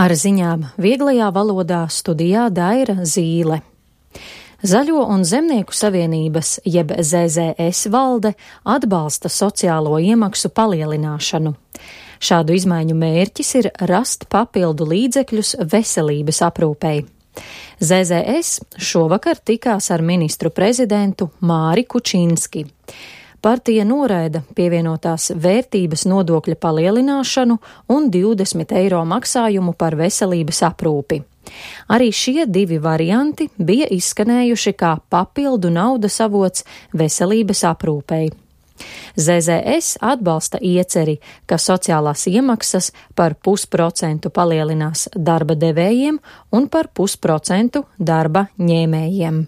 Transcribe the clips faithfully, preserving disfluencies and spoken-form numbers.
Ar ziņām vieglajā valodā studijā Daira Zīle. Zaļo un zemnieku savienības, jeb Z Z S valde, atbalsta sociālo iemaksu palielināšanu. Šādu izmaiņu mērķis ir rast papildu līdzekļus veselības aprūpei. Z Z S šovakar tikās ar ministru prezidentu Māri Kučinski. Partija noraida pievienotās vērtības nodokļa palielināšanu un divdesmit eiro maksājumu par veselības aprūpi. Arī šie divi varianti bija izskanējuši kā papildu naudas avots veselības aprūpei. Z Z S atbalsta ieceri, ka sociālās iemaksas par pusprocentu palielinās darba devējiem un par pusprocentu darba ņēmējiem.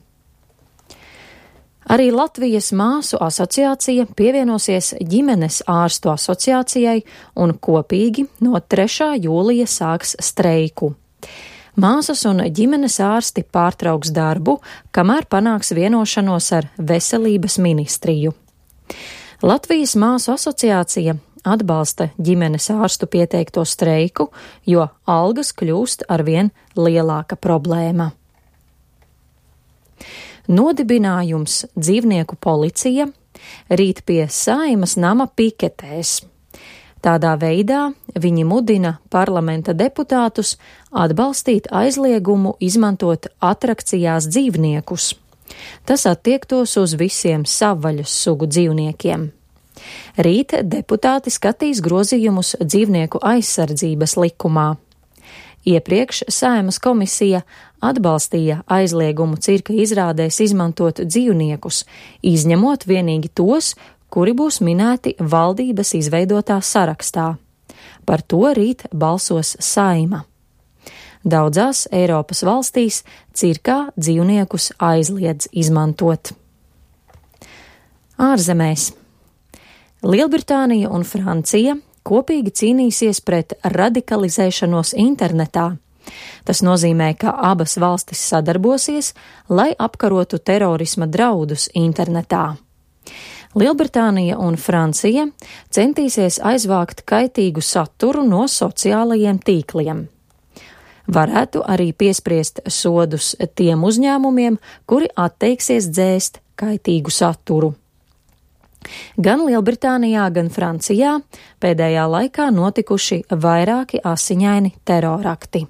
Arī Latvijas māsu asociācija pievienosies ģimenes ārstu asociācijai un kopīgi no trešā jūlija sāks streiku. Māsas un ģimenes ārsti pārtrauks darbu, kamēr panāks vienošanos ar veselības ministriju. Latvijas māsu asociācija atbalsta ģimenes ārstu pieteikto streiku, jo algas kļūst arvien lielāka problēma. Nodibinājums Dzīvnieku policija rīt pie Saeimas nama piketēs. Tādā veidā viņi mudina parlamenta deputātus atbalstīt aizliegumu izmantot atrakcijās dzīvniekus. Tas attiektos uz visiem savvaļas sugu dzīvniekiem. Rīt deputāti skatīs grozījumus dzīvnieku aizsardzības likumā. Iepriekš Saeimas komisija atbalstīja aizliegumu cirka izrādēs izmantot dzīvniekus, izņemot vienīgi tos, kuri būs minēti valdības izveidotā sarakstā. Par to rīt balsos Saeima. Daudzās Eiropas valstīs cirkā dzīvniekus aizliedz izmantot. Ārzemēs. Lielbritānija un Francija kopīgi cīnīsies pret radikalizēšanos internetā. Tas nozīmē, ka abas valstis sadarbosies, lai apkarotu terorisma draudus internetā. Lielbritānija un Francija centīsies aizvākt kaitīgu saturu no sociālajiem tīkliem. Varētu arī piespriest sodus tiem uzņēmumiem, kuri atteiksies dzēst kaitīgu saturu. Gan Lielbritānijā, gan Francijā pēdējā laikā notikuši vairāki asiņaini terorakti.